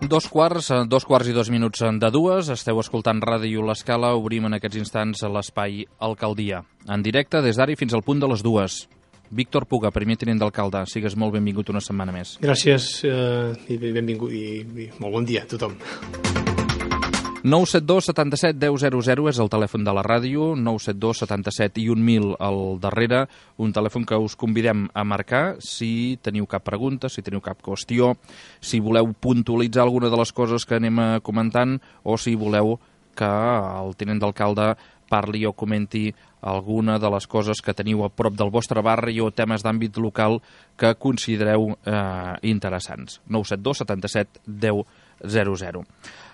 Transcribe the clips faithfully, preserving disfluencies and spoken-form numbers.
dos quarts, dos quarts i dos minuts de dues. Esteu escoltant Ràdio L'Escala. Obrim en aquests instants l'espai Alcaldia. En directe des d'ara i fins al punt de les dues. Víctor Puga, primer tinent d'alcalde. Sigues molt benvingut una setmana més. Gràcies eh, i benvingut i, i molt bon dia a tothom. nou set dos setanta-set deu zero zero és el telèfon de la ràdio, nou set dos setanta-set i un mil al darrere, un telèfon que us convidem a marcar si teniu cap pregunta, si teniu cap qüestió, si voleu puntualitzar alguna de les coses que anem comentant o si voleu que el tinent d'alcalde parli o comenti alguna de les coses que teniu a prop del vostre barri o temes d'àmbit local que considereu eh, interessants. nou set dos setanta-set deu zero zero.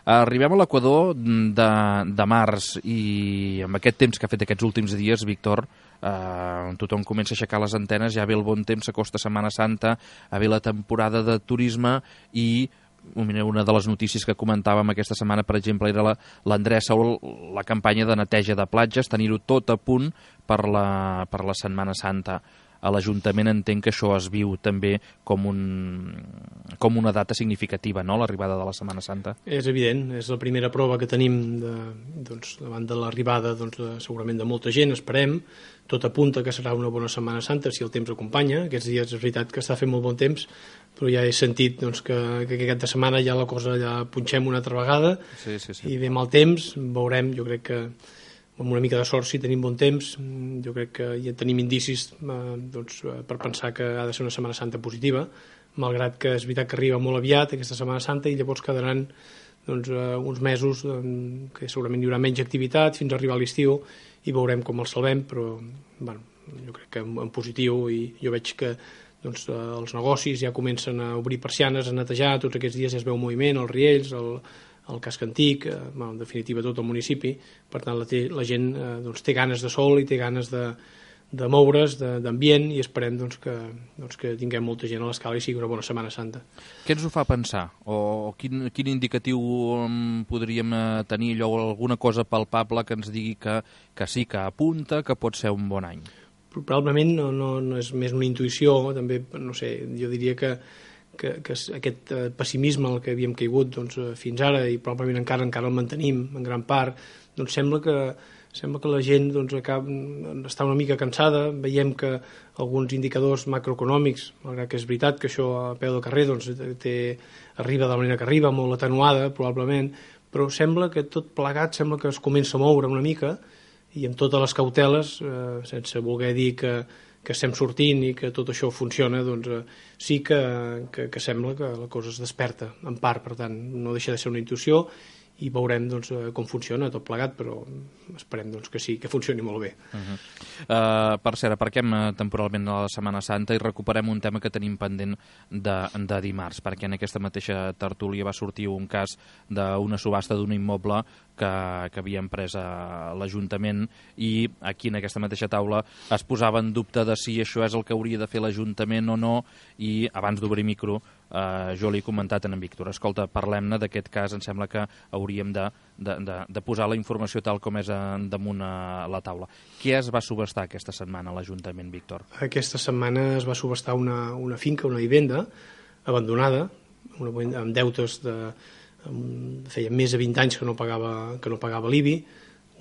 Arribem a l'equador de, de març i amb aquest temps que ha fet aquests últims dies, Víctor, eh, tothom comença a aixecar les antenes, ja ve el bon temps, s'acosta Setmana Santa, a ve la temporada de turisme i una de les notícies que comentàvem aquesta setmana, per exemple, era l'endreça o la campanya de neteja de platges, tenir-ho tot a punt per la, per la Setmana Santa. A l'Ajuntament entenc que això es viu també com, un, com una data significativa, no?, l'arribada de la Setmana Santa. És evident, és la primera prova que tenim de, doncs, davant de l'arribada doncs, de, segurament de molta gent, esperem. Tot apunta que serà una bona Setmana Santa si el temps acompanya. Aquests dies és veritat que està fent molt bon temps, però ja he sentit doncs, que, que aquesta setmana ja la cosa ja punxem una altra vegada sí, sí, sí. I ve mal temps, veurem, jo crec que amb una mica de sort, si tenim bon temps, jo crec que ja tenim indicis eh, doncs, per pensar que ha de ser una Setmana Santa positiva, malgrat que és veritat que arriba molt aviat aquesta Setmana Santa i llavors quedaran doncs, eh, uns mesos eh, que segurament hi haurà menys activitat fins a arribar a l'estiu i veurem com el salvem, però bueno, jo crec que en, en positiu, i jo veig que doncs, eh, els negocis ja comencen a obrir persianes, a netejar, tots aquests dies ja es veu moviment, els riells, el el casc antic, eh, bueno, en definitiva tot el municipi, per tant la, té, la gent eh, doncs, té ganes de sol i té ganes de, de moure's, d'ambient, i esperem doncs, que, doncs, que tinguem molta gent a l'Escala i sigui una bona Setmana Santa. Què ens ho fa pensar? O quin, quin indicatiu podríem tenir, allò, alguna cosa palpable que ens digui que, que sí, que apunta, que pot ser un bon any? Probablement no, no, no és més una intuïció, també, no sé, jo diria que que, que aquest eh, pessimisme al que havíem caigut doncs, eh, fins ara, i probablement encara encara el mantenim en gran part, doncs sembla que, sembla que la gent doncs, acaba, està una mica cansada. Veiem que alguns indicadors macroeconòmics, malgrat que és veritat que això a peu del carrer doncs, té, arriba de la manera que arriba, molt atenuada probablement, però sembla que tot plegat sembla que es comença a moure una mica, i amb totes les cauteles, eh, sense voler dir que que estem sortint i que tot això funciona, doncs eh, sí que, que, que sembla que la cosa es desperta, en part, per tant, no deixa de ser una intuïció, i veurem doncs, com funciona tot plegat, però esperem doncs, que sí, que funcioni molt bé. Uh -huh. uh, per cert, aparquem temporalment a la Setmana Santa i recuperem un tema que tenim pendent de, de dimarts, perquè en aquesta mateixa tertúlia va sortir un cas d'una subhasta d'un immoble que, que havia emprès a l'Ajuntament, i aquí en aquesta mateixa taula es posava en dubte de si això és el que hauria de fer l'Ajuntament o no, i abans d'obrir micro Uh, jo li he comentat a en Víctor, escolta, parlem-ne d'aquest cas, em sembla que hauríem de, de, de, de posar la informació tal com és damunt a la taula. Què es va subhastar aquesta setmana a l'Ajuntament, Víctor? Aquesta setmana es va subhastar una, una finca, una vivenda abandonada, una, amb deutes de, amb, feia més de vint anys que no pagava, que no pagava l'I B I,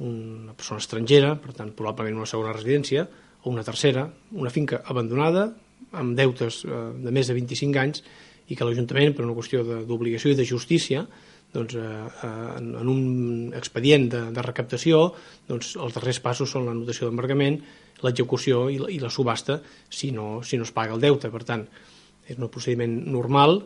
una persona estrangera, per tant probablement una segona residència, o una tercera, una finca abandonada amb deutes eh, de més de vint-i-cinc anys, i que l'Ajuntament, per una qüestió d'obligació i de justícia, doncs, eh, en, en un expedient de, de recaptació, doncs, els darrers passos són l'anotació d'embargament, l'execució i, i la subhasta si no, si no es paga el deute. Per tant, és un procediment normal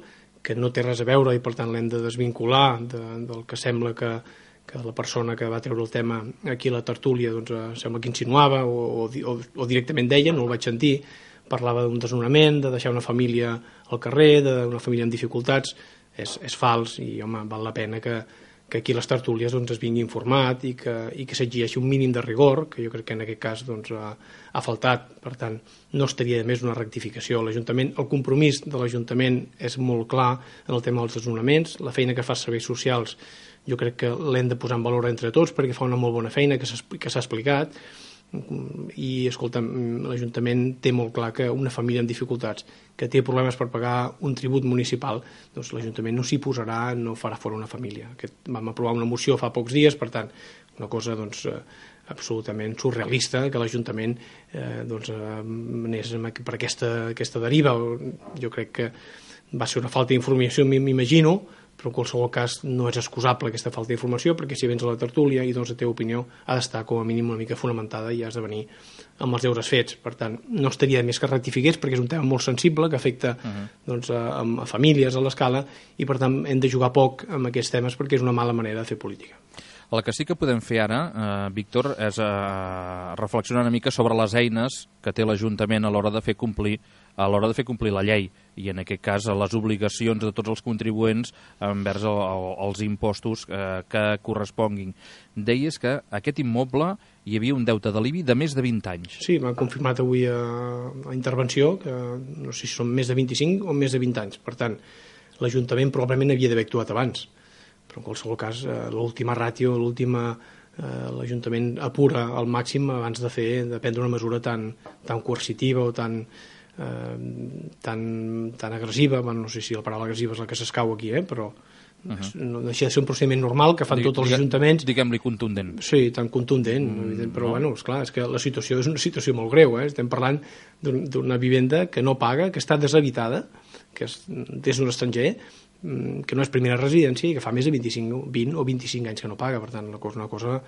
que no té res a veure, i per tant l'hem de desvincular de, del que sembla que, que la persona que va treure el tema aquí a la tertúlia doncs, eh, sembla que insinuava o, o, o directament deia, no el vaig sentir, parlava d'un desnonament, de deixar una família al carrer, d'una família amb dificultats. És, és fals, i home, val la pena que, que aquí a les tertúlies doncs, es vingui informat i que, i que s'exigeixi un mínim de rigor, que jo crec que en aquest cas doncs, ha, ha faltat. Per tant, no estaria de més una rectificació. L'Ajuntament, el compromís de l'Ajuntament és molt clar en el tema dels desnonaments. La feina que fa serveis socials jo crec que l'hem de posar en valor entre tots, perquè fa una molt bona feina que s'ha explicat, i, escolta, l'Ajuntament té molt clar que una família amb dificultats que té problemes per pagar un tribut municipal, doncs l'Ajuntament no s'hi posarà, no farà fora una família. Aquest, vam aprovar una moció fa pocs dies, per tant, una cosa doncs, absolutament surrealista que l'Ajuntament eh, doncs, anés per aquesta, aquesta deriva. Jo crec que va ser una falta d'informació, m'imagino, però en qualsevol cas no és excusable aquesta falta d'informació, perquè si vens a la tertúlia i doncs la teva opinió ha d'estar com a mínim una mica fonamentada i has de venir amb els deures fets. Per tant, no estaria més que rectifiqués, perquè és un tema molt sensible que afecta uh-huh. doncs, a, a famílies a l'escala, i per tant hem de jugar poc amb aquests temes perquè és una mala manera de fer política. El que sí que podem fer ara, eh, Víctor, és eh, reflexionar una mica sobre les eines que té l'Ajuntament a l'hora de fer complir a l'hora de fer complir la llei, i en aquest cas les obligacions de tots els contribuents envers el, el, els impostos eh, que corresponguin. Deies que aquest immoble hi havia un deute de l'I B I de més de vint anys. Sí, m'ha confirmat avui a, a intervenció que no sé si són més de vint-i-cinc o més de vint anys. Per tant, l'Ajuntament probablement havia d'haver actuat abans, però en qualsevol cas l'última ràtio, l'última eh, l'Ajuntament apura al màxim abans de fer de prendre una mesura tan, tan coercitiva o tan Eh, tan, tan agressiva. Bueno, no sé si la paraula agressiva és la que s'escau aquí, eh? Però uh-huh. no deixa de ser un procediment normal que fan Digue, tots els ajuntaments. Diguem-li contundent. Sí, tan contundent, mm, evident, però no. bueno, esclar, és que la situació és una situació molt greu, eh? Estem parlant d'una vivenda que no paga, que està deshabitada, que és, és un estranger, que no és primera residència i que fa més de vint-i-cinc, vint o vint-i-cinc anys que no paga. Per tant, és una cosa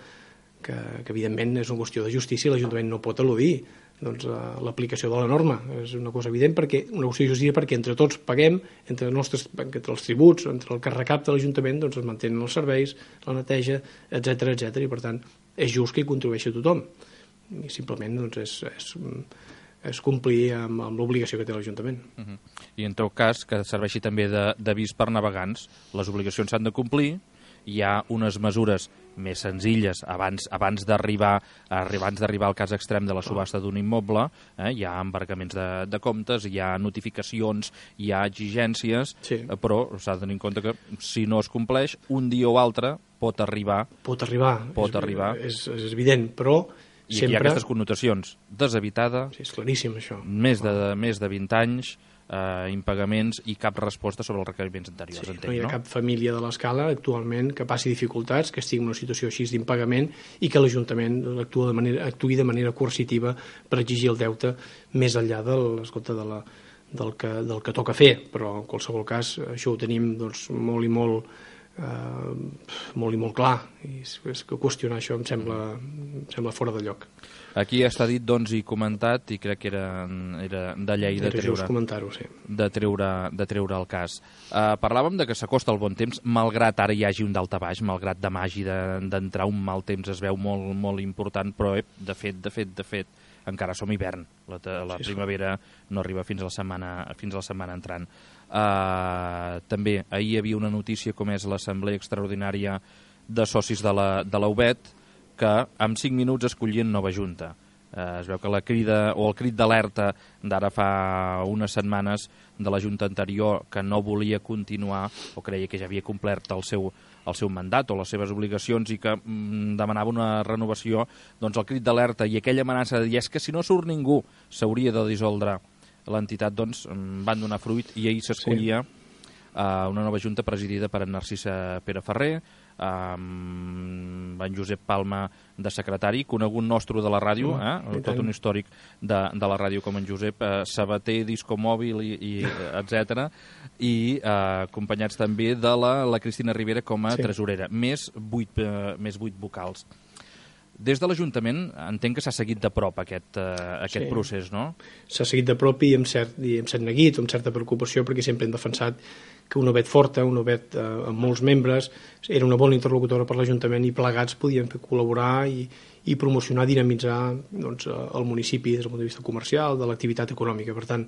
que, que evidentment és una qüestió de justícia i l'Ajuntament no pot eludir doncs, l'aplicació de la norma. És una cosa evident, perquè una qüestió de justícia perquè entre tots paguem, entre, nostres, entre els tributs, entre el que recapta l'Ajuntament, doncs es mantenen els serveis, la neteja, etcètera, etcètera, i per tant és just que hi contribueixi tothom. I simplement doncs, és, és, és complir amb, amb l'obligació que té l'Ajuntament. Uh-huh. I en tot cas, que serveixi també d'avís per navegants, les obligacions s'han de complir, hi ha unes mesures més senzilles abans, abans d'arribar abans d'arribar al cas extrem de la subhasta d'un immoble, eh? Hi ha embargaments de, de comptes, hi ha notificacions, hi ha exigències, sí. eh, però s'ha de tenir en compte que si no es compleix, un dia o altre pot arribar. Pot arribar, pot és, arribar. És, és evident, però I sempre... hi ha aquestes connotacions. Deshabitada, sí, és claríssim això. Més de, de, més de vint anys, eh, impagaments i cap resposta sobre els requeriments anteriors. Sí, entenc, no hi ha no? cap família de l'escala actualment que passi dificultats, que estigui en una situació així d'impagament i que l'Ajuntament actua de manera, actuï de manera coercitiva per exigir el deute més enllà del, escolta, de la, del, que, del que toca fer. Però en qualsevol cas això ho tenim doncs, molt i molt Uh, molt i molt clar, i és, és que qüestionar això em sembla, em sembla fora de lloc. Aquí està dit doncs, i comentat, i crec que era, era de llei de treure, sí. de, treure, de treure el cas. Uh, parlàvem de que s'acosta el bon temps, malgrat ara hi hagi un daltabaix, malgrat demà hagi d'entrar de, un mal temps, es veu molt, molt important, però eh, de fet, de fet, de fet, encara som hivern. La, la sí, primavera no arriba fins a la setmana, fins a la setmana entrant. Uh, també ahir hi havia una notícia com és l'assemblea extraordinària de socis de la, de la U B E T, que en cinc minuts escollien nova junta. Uh, es veu que la crida o el crit d'alerta d'ara fa unes setmanes de la junta anterior, que no volia continuar o creia que ja havia complert el seu, el seu mandat o les seves obligacions i que mm, demanava una renovació, doncs el crit d'alerta i aquella amenaça de dir és que si no surt ningú s'hauria de dissoldre l'entitat, doncs van donar fruit i ahir s'escollia sí. uh, una nova junta presidida per en Narcisa Pere Ferrer, amb en Josep Palma de secretari, conegut nostre de la ràdio, eh? tot un històric de, de la ràdio com en Josep, eh, Sabater, Disco Mòbil, i, i etcètera, i eh, acompanyats també de la, la Cristina Rivera com a sí. tresorera, més vuit, eh, més vuit vocals. Des de l'Ajuntament entenc que s'ha seguit de prop aquest, uh, aquest sí. procés, no? S'ha seguit de prop i amb cert, i amb cert neguit, amb certa preocupació, perquè sempre hem defensat que una U B E T forta, una U B E T uh, amb molts membres, era una bona interlocutora per l'Ajuntament i plegats podien col·laborar i, i promocionar, dinamitzar doncs, el municipi des del punt de vista comercial, de l'activitat econòmica. Per tant,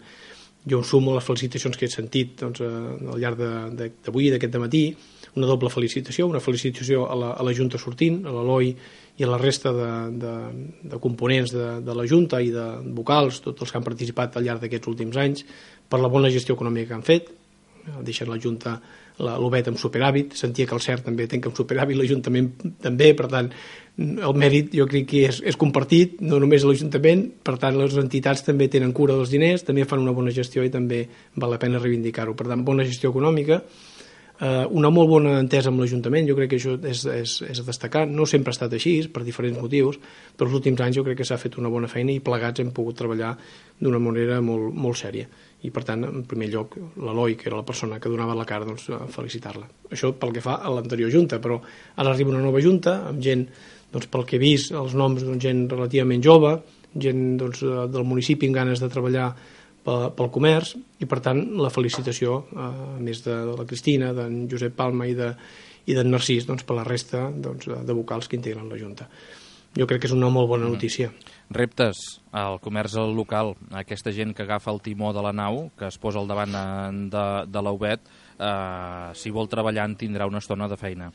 jo em sumo a les felicitacions que he sentit doncs, al llarg d'avui, d'aquest dematí, una doble felicitació, una felicitació a la, a la Junta sortint, a l'Eloi i a la resta de, de, de components de, de la Junta i de vocals, tots els que han participat al llarg d'aquests últims anys, per la bona gestió econòmica que han fet, deixen la Junta l'Obet amb superàvit, sentia que el C E R també tanca amb superàvit, l'Ajuntament també, per tant, el mèrit jo crec que és, és compartit, no només l'Ajuntament, per tant, les entitats també tenen cura dels diners, també fan una bona gestió i també val la pena reivindicar-ho. Per tant, bona gestió econòmica, eh, una molt bona entesa amb l'Ajuntament, jo crec que això és, és, és a destacar, no sempre ha estat així, per diferents motius, però els últims anys jo crec que s'ha fet una bona feina i plegats hem pogut treballar d'una manera molt, molt sèria. I per tant, en primer lloc, l'Eloi, que era la persona que donava la cara, doncs felicitar-la. Això pel que fa a l'anterior Junta, però ara arriba una nova Junta amb gent, doncs, pel que he vist, els noms, doncs, gent relativament jove, gent, doncs, del municipi amb ganes de treballar pel comerç, i per tant la felicitació, a més de la Cristina, d'en Josep Palma i d'en Narcís, doncs, per la resta, doncs, de vocals que integren la Junta. Jo crec que és una molt bona notícia. Reptes al comerç local, aquesta gent que agafa el timó de la nau, que es posa al davant de, de l'Obet, eh, si vol treballar en tindrà una estona de feina.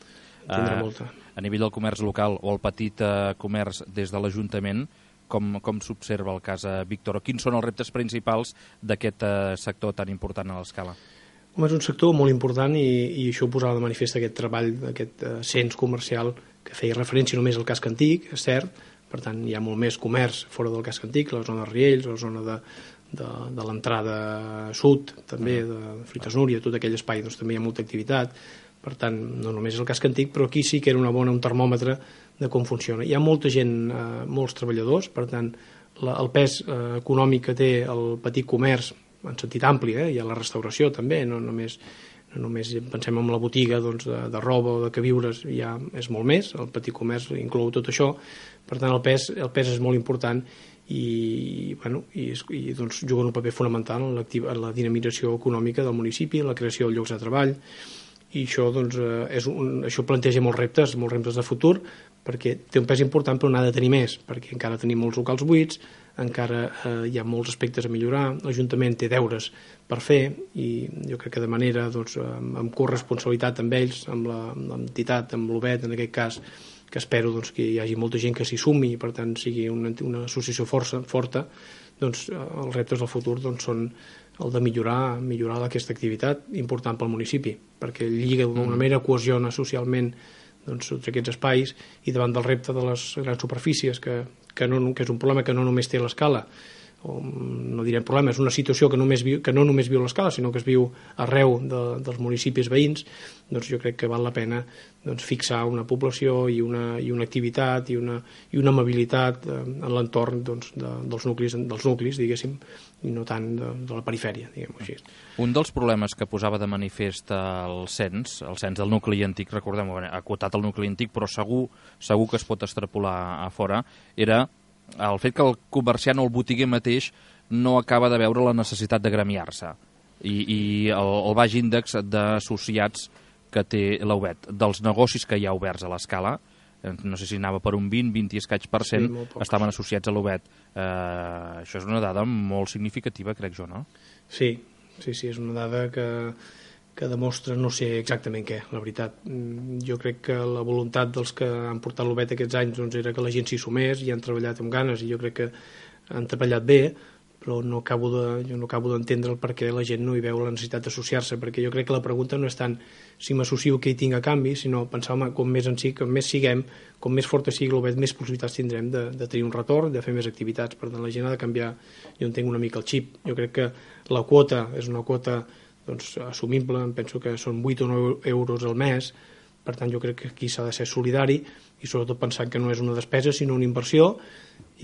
Tindrà eh, molta. A nivell del comerç local o el petit eh, comerç des de l'Ajuntament, com, com s'observa el cas a Víctor? Quins són els reptes principals d'aquest eh, sector tan important a l'escala? Home, és un sector molt important i, i això ho posava de manifest aquest treball, aquest uh, cens comercial que feia referència només al casc antic, és cert, per tant hi ha molt més comerç fora del casc antic, la zona de Riells, la zona de, de, de l'entrada sud, també, de Fruites Núria, tot aquell espai, doncs també hi ha molta activitat, per tant, no només és el casc antic, però aquí sí que era una bona, un termòmetre de com funciona. Hi ha molta gent, eh, molts treballadors, per tant, la, el pes eh, econòmic que té el petit comerç, en sentit ampli, eh? Hi ha la restauració també, no només, no només pensem en la botiga doncs, de, de roba o de queviures, ja és molt més, el petit comerç inclou tot això, per tant el pes, el pes és molt important i, bueno, i, i doncs, juguen un paper fonamental en, en la dinamització econòmica del municipi, la creació de llocs de treball, i això, doncs, és un, això planteja molts reptes, molts reptes de futur, perquè té un pes important però n'ha de tenir més, perquè encara tenim molts locals buits, encara eh, hi ha molts aspectes a millorar, l'Ajuntament té deures per fer i jo crec que de manera, doncs, amb, amb corresponsabilitat amb ells, amb l'entitat, amb l'Obet en aquest cas, que espero doncs, que hi hagi molta gent que s'hi sumi i per tant sigui una, una associació força, forta, doncs els reptes del futur doncs, són el de millorar, millorar aquesta activitat important pel municipi, perquè lliga d'alguna manera, cohesiona socialment doncs, tots aquests espais i davant del repte de les grans superfícies que, que, no, que és un problema que no només té l'escala, o no direm problema, és una situació que, només viu, que no només viu l'escala, sinó que es viu arreu de, dels municipis veïns, doncs jo crec que val la pena doncs, fixar una població i una, i una activitat i una, i una amabilitat eh, en l'entorn doncs, de, dels, nuclis, dels nuclis, diguéssim, i no tant de, de la perifèria, diguem-ho així. Un dels problemes que posava de manifest el cens, el cens del nucli antic, recordem, ha acotat el nucli antic, però segur, segur que es pot extrapolar a fora, era el fet que el comerciant o el botiguer mateix no acaba de veure la necessitat de gremiar-se i, i el, el baix índex d'associats que té l'Obet. Dels negocis que hi ha oberts a l'escala, no sé si anava per un vint, vint i escaig per cent, sí, estaven associats a l'Obet. Eh, això és una dada molt significativa, crec jo, no? Sí, sí, sí, és una dada que, que demostra no sé exactament què, la veritat. Jo crec que la voluntat dels que han portat l'Obet aquests anys doncs, era que la gent s'hi sumés i han treballat amb ganes i jo crec que han treballat bé, però no acabo de, jo no acabo d'entendre el per què la gent no hi veu la necessitat d'associar-se, perquè jo crec que la pregunta no és tant si m'associo què hi tinc a canvi, sinó pensar, home, com més en sí, com més siguem, com més forta sigui l'Obet, més possibilitats tindrem de, de tenir un retorn, de fer més activitats. Per tant, la gent ha de canviar, jo entenc una mica el xip. Jo crec que la quota és una quota doncs, assumible, em penso que són vuit o nou euros al mes, per tant jo crec que aquí s'ha de ser solidari i sobretot pensant que no és una despesa sinó una inversió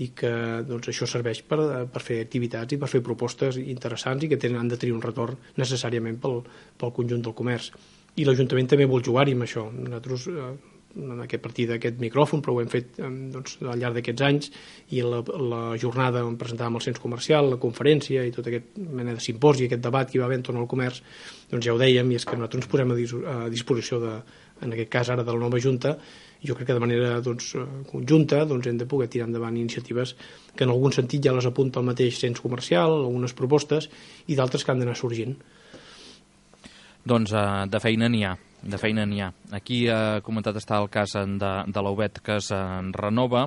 i que doncs, això serveix per, per fer activitats i per fer propostes interessants i que tenen, han de tenir un retorn necessàriament pel, pel conjunt del comerç. I l'Ajuntament també vol jugar-hi amb això. Nosaltres eh, en aquest partit d'aquest micròfon, però ho hem fet eh, doncs, al llarg d'aquests anys i la, la jornada on presentàvem el cens comercial, la conferència i tot aquest mena de simposi, aquest debat que hi va haver entorn al comerç, doncs ja ho dèiem, i és que nosaltres ens posem a, dis a disposició de, en aquest cas ara de la nova Junta, i jo crec que de manera doncs, conjunta doncs, hem de poder tirar endavant iniciatives que en algun sentit ja les apunta el mateix cens comercial, algunes propostes i d'altres que han d'anar sorgint. Doncs uh, de feina n'hi ha, de feina n'hi ha. Aquí ha uh, comentat està el cas de, de l'Aubet que es renova.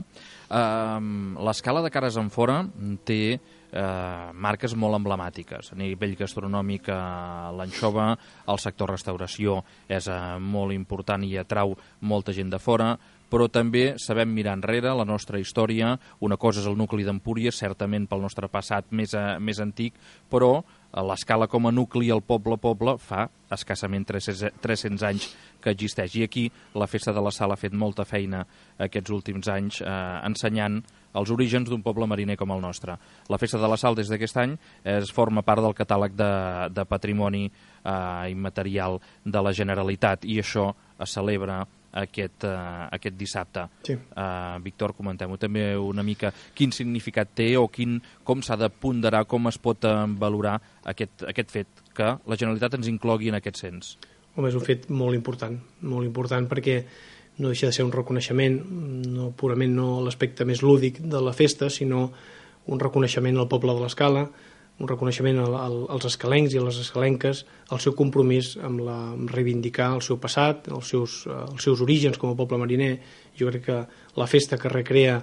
Uh, l'escala de Cares Enfora té uh, marques molt emblemàtiques. A nivell gastronòmic, uh, l'anxova, el sector restauració és uh, molt important i atrau molta gent de fora, però també sabem mirar enrere la nostra història. Una cosa és el nucli d'Empúries, certament pel nostre passat més, uh, més antic, però l'escala com a nucli, el poble-poble, fa escassament tres-cents anys que existeix. I aquí la Festa de la Sal ha fet molta feina aquests últims anys eh, ensenyant els orígens d'un poble mariner com el nostre. La Festa de la Sal des d'aquest any es forma part del catàleg de, de patrimoni eh, immaterial de la Generalitat i això es celebra aquest, uh, aquest dissabte. Sí. Uh, Víctor, comentem-ho també una mica quin significat té o quin, com s'ha de ponderar, com es pot uh, valorar aquest, aquest fet que la Generalitat ens inclogui en aquest cens. Home, és un fet molt important, molt important perquè no deixa de ser un reconeixement, no purament no l'aspecte més lúdic de la festa, sinó un reconeixement al poble de l'Escala, un reconeixement al, al, als escalencs i a les escalenques, el seu compromís amb, la, amb reivindicar el seu passat, els seus, els seus orígens com a poble mariner. Jo crec que la festa que recrea,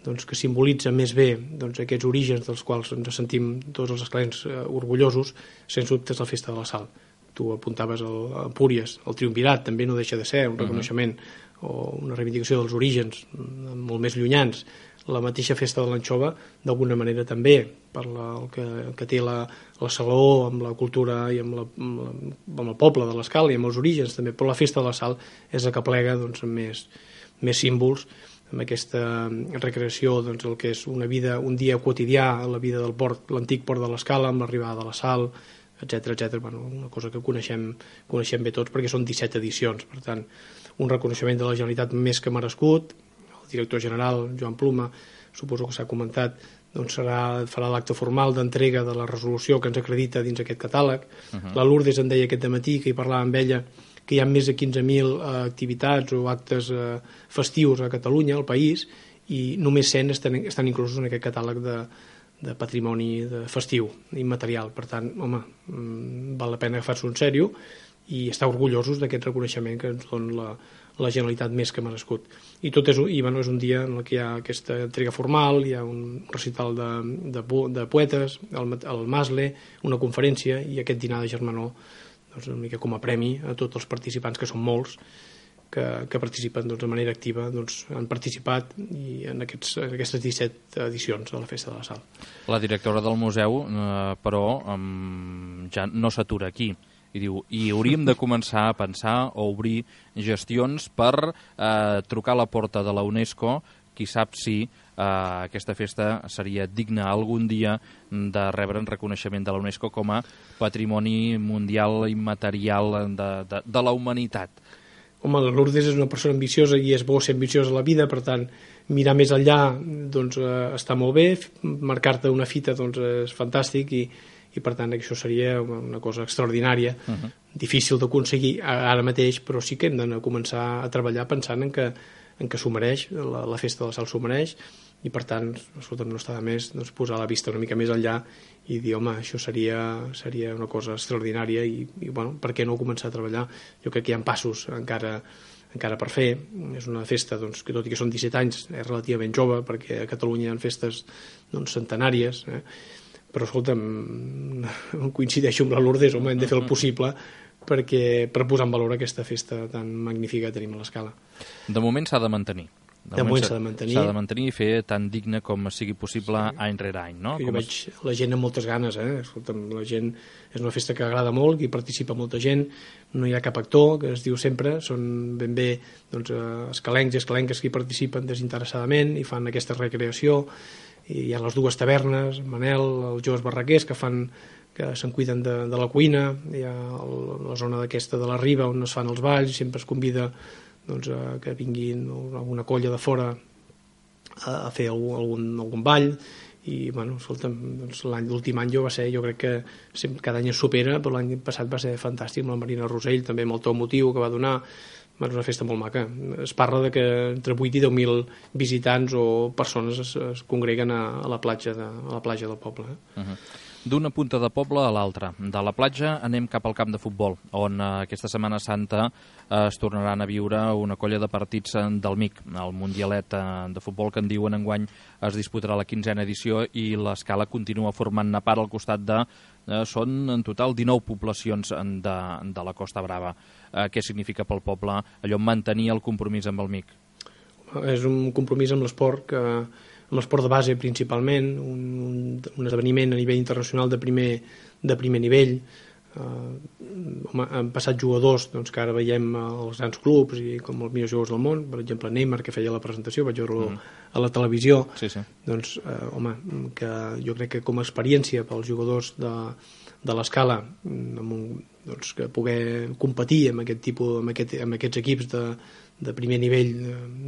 doncs, que simbolitza més bé doncs, aquests orígens dels quals ens sentim tots els escalencs eh, orgullosos, sens dubte és la Festa de la Sal. Tu apuntaves el, a Empúries, el triumvirat també no deixa de ser un reconeixement uh-huh. o una reivindicació dels orígens molt més llunyans. La mateixa Festa de l'Anxova, d'alguna manera també, per la, el que, que té la, la Saló amb la cultura i amb, la, amb, la, amb el poble de l'Escala i amb els orígens també, però la Festa de la Sal és la que plega doncs, amb més, més símbols, amb aquesta recreació, doncs, el que és una vida, un dia quotidià, la vida del port, l'antic port de l'Escala, amb l'arribada de la Sal, etcètera, etcètera. Bueno, una cosa que coneixem, coneixem bé tots perquè són disset edicions, per tant, un reconeixement de la Generalitat més que merescut. El director general, Joan Pluma, suposo que s'ha comentat, doncs serà, farà l'acte formal d'entrega de la resolució que ens acredita dins aquest catàleg. Uh-huh. La Lourdes em deia aquest dematí, que hi parlava amb ella, que hi ha més de quinze mil eh, activitats o actes eh, festius a Catalunya, al país, i només cent estan, estan inclosos en aquest catàleg de, de patrimoni de festiu, immaterial. Per tant, home, val la pena agafar-s'ho en sèrio i estar orgullosos d'aquest reconeixement que ens dona la, la Generalitat més que merescut. I tot és, i, bueno, és un dia en què hi ha aquesta entrega formal, hi ha un recital de, de, de poetes, el, el Masle, una conferència i aquest dinar de germanor, doncs, una mica com a premi a tots els participants, que són molts, que, que participen doncs, de manera activa, doncs, han participat i en, aquests, en aquestes disset edicions de la Festa de la Sal. La directora del museu, eh, però, um, ja no s'atura aquí. I diu, i hauríem de començar a pensar o obrir gestions per eh, trucar a la porta de la UNESCO, qui sap si eh, aquesta festa seria digna algun dia de rebre un reconeixement de la UNESCO com a patrimoni mundial immaterial de, de, de la humanitat. Home, la Lourdes és una persona ambiciosa i és bo ser ambiciosa a la vida, per tant, mirar més enllà doncs, eh, està molt bé, marcar-te una fita doncs, és fantàstic i i per tant això seria una cosa extraordinària, uh-huh. difícil d'aconseguir ara mateix, però sí que hem de començar a treballar pensant en que, en que s'ho mereix, la, la Festa de la Sal s'ho mereix, i per tant, escolta'm, no està de més doncs, posar la vista una mica més enllà i dir, home, això seria, seria una cosa extraordinària i, i bueno, per què no començar a treballar? Jo crec que hi ha passos encara encara per fer. És una festa doncs, que tot i que són disset anys és relativament jove, perquè a Catalunya hi ha festes doncs, centenàries, eh? Però escolta'm, coincideixo amb la Lourdes, home, hem de fer el possible perquè, per posar en valor aquesta festa tan magnífica que tenim a l'Escala. De moment s'ha de mantenir. De, de moment s'ha de mantenir. S'ha de mantenir i fer tan digne com sigui possible sí. any rere any, no? Jo com veig es... la gent amb moltes ganes, eh? Escolta'm, la gent és una festa que agrada molt, que hi participa molta gent, no hi ha cap actor, que es diu sempre, són ben bé doncs, escalencs i escalenques que hi participen desinteressadament i fan aquesta recreació. I hi ha les dues tavernes, Manel, els joves barraquers que fan que se'n cuiden de, de la cuina, hi ha el, la zona d'aquesta de la riba on es fan els balls, sempre es convida doncs, a que vinguin alguna colla de fora a, a fer algun, algun, algun ball i bueno, escolta'm, doncs, l'últim any jo va ser, jo crec que sempre, cada any es supera, però l'any passat va ser fantàstic amb la Marina Rosell, també amb el to emotiu que va donar, és una festa molt maca. Es parla de que entre vuit i deu mil visitants o persones es, es congreguen a, a, la platja de, a la platja del poble. Eh? Uh-huh. D'una punta de poble a l'altra. De la platja anem cap al camp de futbol, on eh, aquesta Setmana Santa eh, es tornaran a viure una colla de partits del M I C. El Mundialet eh, de futbol que en diuen enguany es disputarà la quinzena edició i l'Escala continua formant-ne part al costat de... Eh, són en total dinou poblacions de, de la Costa Brava. Eh, què significa pel poble allò mantenir el compromís amb el M I C? És un compromís amb l'esport que... amb l'esport de base principalment, un, un, un esdeveniment a nivell internacional de primer, de primer nivell. Uh, home, han passat jugadors doncs, que ara veiem als grans clubs i com els millors jugadors del món, per exemple Neymar, que feia la presentació, vaig veure-lo mm. a la televisió. Sí, sí. Doncs, uh, home, que jo crec que com a experiència pels jugadors de, de l'Escala, amb un, doncs, que poder competir amb, aquest tipus, amb, aquest, amb aquests equips de, de primer nivell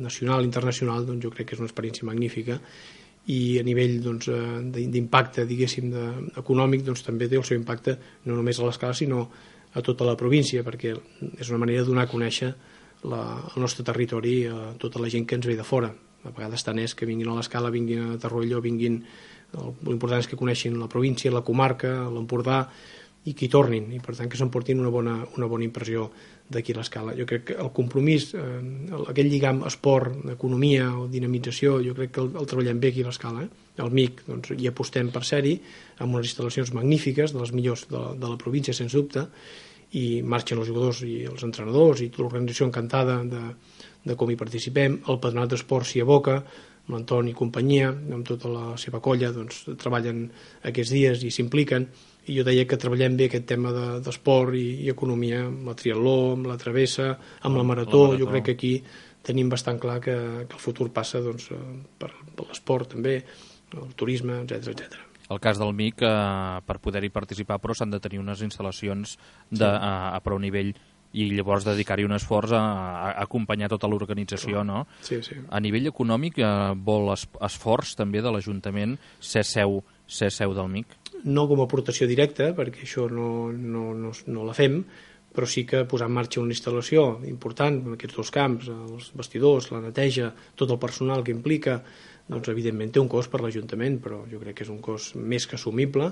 nacional, internacional, doncs jo crec que és una experiència magnífica i a nivell doncs, d'impacte, diguéssim, de, econòmic, doncs també té el seu impacte no només a l'Escala sinó a tota la província, perquè és una manera de donar a conèixer la, el nostre territori a tota la gent que ens ve de fora. A vegades tant és que vinguin a l'Escala, vinguin a Torroella, vinguin... L'important és que coneixin la província, la comarca, l'Empordà, i que hi tornin, i per tant que s'emportin una bona, una bona impressió d'aquí a l'Escala. Jo crec que el compromís, eh, aquell lligam esport, economia o dinamització, jo crec que el, el treballem bé aquí a l'Escala. Eh? El M I C doncs, hi apostem per ser-hi, amb unes instal·lacions magnífiques, de les millors de la, de la província, sens dubte, i marxen els jugadors i els entrenadors i tota l'organització encantada de, de com hi participem. El Patronat d'Esport s'hi aboca, amb l'Antoni i companyia, amb tota la seva colla, doncs, treballen aquests dies i s'impliquen. I jo deia que treballem bé aquest tema d'esport de, i, i economia, amb la triatló, amb la travessa, amb la marató. la marató. Jo crec que aquí tenim bastant clar que, que el futur passa doncs, per, per l'esport també, el turisme, etcètera etcètera. El cas del M I C, eh, per poder-hi participar, però s'han de tenir unes instal·lacions de, sí. a, a prou nivell i llavors dedicar-hi un esforç a, a acompanyar tota l'organització, no? Sí, sí. A nivell econòmic, eh, vol es, esforç també de l'Ajuntament ser seu, ser seu del M I C? No com a aportació directa, perquè això no, no, no, no la fem, però sí que posar en marxa una instal·lació important en aquests dos camps, els vestidors, la neteja, tot el personal que implica, doncs evidentment té un cost per l'Ajuntament, però jo crec que és un cost més que assumible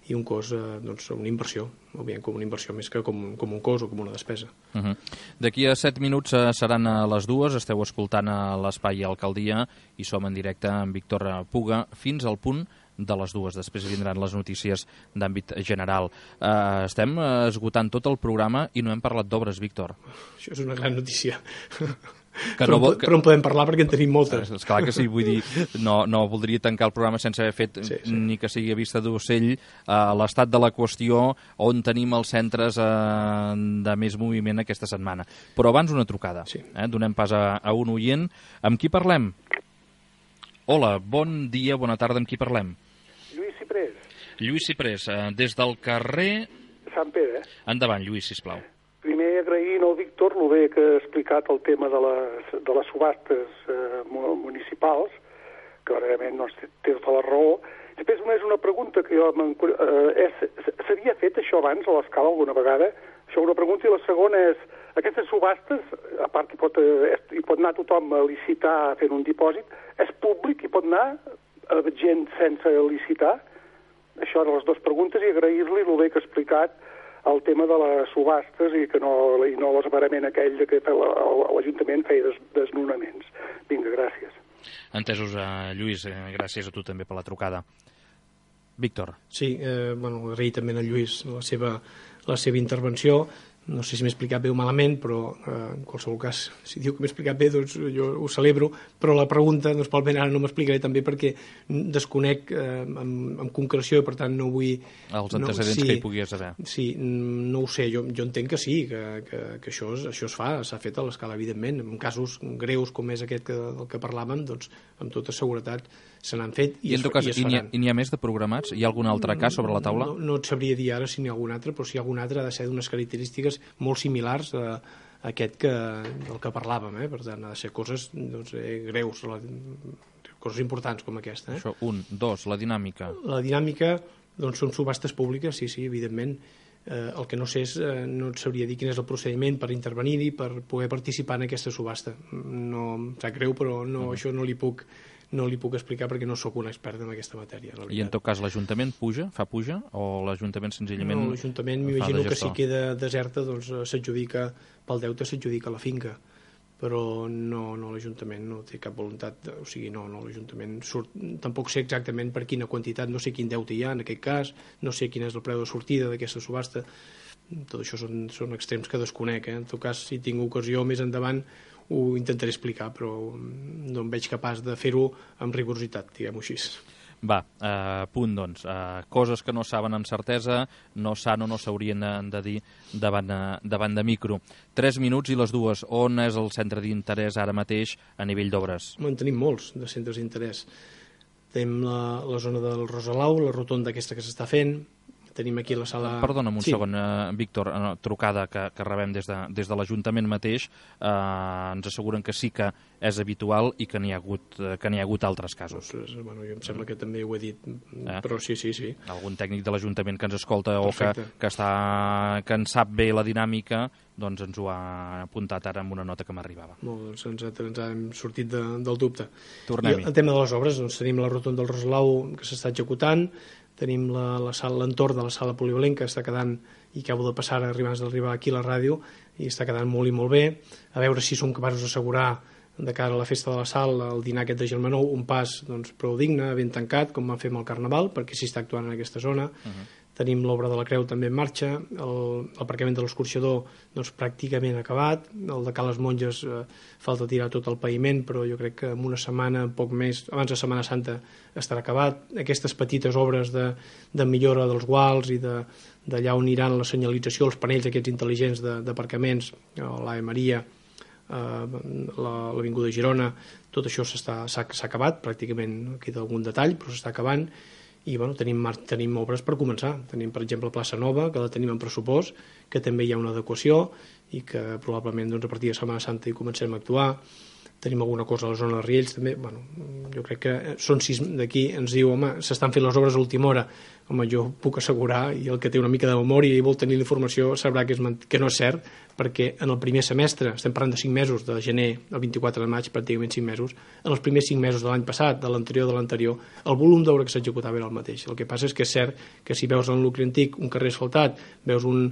i un cost, eh, doncs, una inversió, o bé com una inversió més que com, com un cost o com una despesa. Uh -huh. D'aquí a set minuts eh, seran a les dues, esteu escoltant a l'Espai Alcaldia i som en directe amb Víctor Puga fins al punt de les dues. Després vindran les notícies d'àmbit general. Uh, estem esgotant tot el programa i no hem parlat d'obres, Víctor. Això és una gran notícia. Que però, no, que... però en podem parlar perquè en tenim moltes. És clar que sí, vull dir, no, no voldria tancar el programa sense haver fet sí, sí. ni que sigui a vista d'ocell uh, l'estat de la qüestió on tenim els centres uh, de més moviment aquesta setmana. Però abans una trucada. Sí. Eh? Donem pas a, a un oient. Amb qui parlem? Hola, bon dia, bona tarda, amb qui parlem? Lluís Ciprés. Lluís Ciprés, eh, des del carrer... Sant Pere. Endavant, Lluís, sisplau. Primer agraint al Víctor el bé que ha explicat el tema de les, de les subhastes eh, municipals, que realment no té tota la raó. Després només una pregunta que jo eh, s'havia fet això abans a l'Escala alguna vegada? Això una pregunta, i la segona és, aquestes subhastes, a part que hi pot, eh, hi pot anar tothom a licitar fent un dipòsit, és públic, hi pot anar gent sense licitar? Això eren les dues preguntes, i agrair-li el bé que ha explicat el tema de les subhastes i que no, i no l'esbarament aquell de que l'Ajuntament feia des, desnonaments. Vinga, gràcies. Entesos, uh, Lluís, eh, gràcies a tu també per la trucada. Víctor. Sí, eh, bueno, agrair també a Lluís la seva, la seva intervenció. No sé si m'he explicat bé o malament, però eh, en qualsevol cas, si diu que m'he explicat bé, doncs jo ho celebro, però la pregunta, doncs probablement ara no m'explicaré també perquè desconec eh, amb, amb concreció i per tant no vull... Els antecedents no, sí, que hi pogués haver. Sí, no ho sé, jo, jo entenc que sí, que, que, que això, es, això es fa, s'ha fet a l'Escala, evidentment. En casos greus com és aquest que, del que parlàvem, doncs amb tota seguretat se n'han fet i, I en tot cas, i es faran. I n'hi ha, ha més de programats? Hi ha algun altre cas sobre la taula? No, no et sabria dir ara si n'hi ha algun altre, però si hi ha algun altre ha de ser d'unes característiques molt similars a, a aquest que, del que parlàvem, eh? Per tant, ha de ser coses doncs, eh, greus, la, coses importants com aquesta. Eh? Això, un, dos, la dinàmica. La dinàmica, doncs, són subhastes públiques, sí, sí, evidentment. Eh, el que no sé és, eh, no et sabria dir quin és el procediment per intervenir-hi, per poder participar en aquesta subhasta. No em sap greu, però no, uh-huh. això no li puc no li puc explicar perquè no sóc un expert en aquesta matèria. I en tot cas l'Ajuntament puja, fa puja, o l'Ajuntament senzillament... No, l'Ajuntament m'imagino que si queda deserta doncs s'adjudica, pel deute s'adjudica la finca, però no, no l'Ajuntament no té cap voluntat, o sigui, no, no l'Ajuntament surt, tampoc sé exactament per quina quantitat, no sé quin deute hi ha en aquest cas, no sé quin és el preu de sortida d'aquesta subhasta, tot això són, són extrems que desconec, eh? En tot cas, si tinc ocasió més endavant ho intentaré explicar, però no em veig capaç de fer-ho amb rigorositat, diguem-ho així. Va, eh, punt, doncs. Eh, coses que no saben amb certesa, no s'han o no s'haurien de dir davant, davant de micro. Tres minuts i les dues. On és el centre d'interès ara mateix a nivell d'obres? En tenim molts de centres d'interès. Tenim la, la zona del Rosalau, la rotonda aquesta que s'està fent, tenim aquí la sala... Perdona'm un sí. segon, eh, Víctor, eh, trucada que, que rebem des de, des de l'Ajuntament mateix, eh, ens asseguren que sí que és habitual i que n'hi ha hagut, eh, que n'hi ha hagut altres casos. Pues, bueno, jo em sembla que també ho he dit, eh? però sí, sí, sí. Algun tècnic de l'Ajuntament que ens escolta Perfecte. o que, que, està, que en sap bé la dinàmica, doncs ens ho ha apuntat ara amb una nota que m'arribava. Molt, doncs ens, ens hem sortit de, del dubte. Tornem-hi. I el tema de les obres, doncs tenim la rotonda del Rosalau que s'està executant, tenim la, la sala, l'entorn de la sala polivalent que està quedant, i acabo de passar abans d'arribar aquí a la ràdio, i està quedant molt i molt bé, a veure si som capaços d'assegurar de cara a la festa de la Sal, el dinar aquest de Germanó, un pas doncs, prou digne, ben tancat, com vam fer amb el Carnaval, perquè s'hi està actuant en aquesta zona. Uh-huh. Tenim l'obra de la Creu també en marxa, l'aparcament de l'escorxador doncs, pràcticament acabat, el de Cales Monges eh, falta tirar tot el paviment, però jo crec que en una setmana, poc més, abans de Setmana Santa estarà acabat. Aquestes petites obres de, de millora dels guals i de, d'allà on aniran la senyalització, els panells aquests intel·ligents d'aparcaments, l'Ave Maria, eh, l'Avinguda Girona, tot això s'ha acabat, pràcticament queda algun detall, però s'està acabant. I bueno, tenim, tenim obres per començar. Tenim, per exemple, Plaça Nova, que la tenim en pressupost, que també hi ha una adequació i que probablement doncs, a partir de Setmana Santa hi comencem a actuar. Tenim alguna cosa a la zona de Riells també. Bueno, jo crec que són sis d'aquí, ens diu, home, s'estan fent les obres a última hora. Home, jo puc assegurar, i el que té una mica de memòria i vol tenir la informació sabrà que, és, que no és cert, perquè en el primer semestre, estem parlant de cinc mesos, de gener al vint-i-quatre de maig, pràcticament cinc mesos, en els primers cinc mesos de l'any passat, de l'anterior de l'anterior, el volum d'obra que s'executava era el mateix. El que passa és que és cert que si veus en nucli antic un carrer asfaltat, veus un,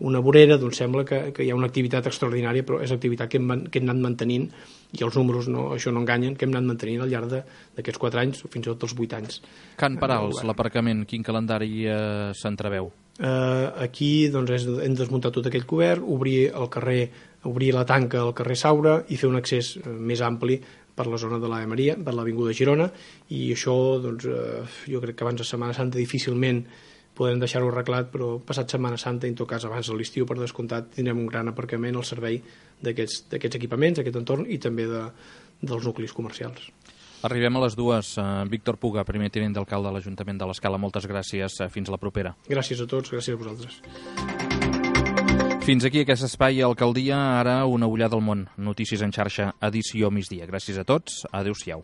una vorera, doncs sembla que, que hi ha una activitat extraordinària, però és activitat que hem, que hem anat mantenint, i els números no, això no enganyen, que hem anat mantenint al llarg d'aquests quatre anys, o fins i tot els vuit anys. Can Parals, l'aparcament, quin calendari eh, s'entreveu? Uh, aquí doncs, és, hem desmuntat tot aquell cobert, obrir el carrer, obrir la tanca al carrer Saura i fer un accés uh, més ampli per la zona de l'Ave Maria, per l'Avinguda Girona, i això doncs, uh, jo crec que abans de Setmana Santa difícilment podrem deixar-ho arreglat, però passat Setmana Santa, en tot cas abans de l'estiu, per descomptat, tindrem un gran aparcament al servei d'aquests equipaments, d'aquest entorn, i també de, dels nuclis comercials. Arribem a les dues. Uh, Víctor Puga, primer tinent d'alcalde de l'Ajuntament de l'Escala, moltes gràcies. Uh, fins la propera. Gràcies a tots, gràcies a vosaltres. Fins aquí aquest espai Alcaldia, ara una ullada al món. Notícies en xarxa, edició migdia. Gràcies a tots, adéu-siau.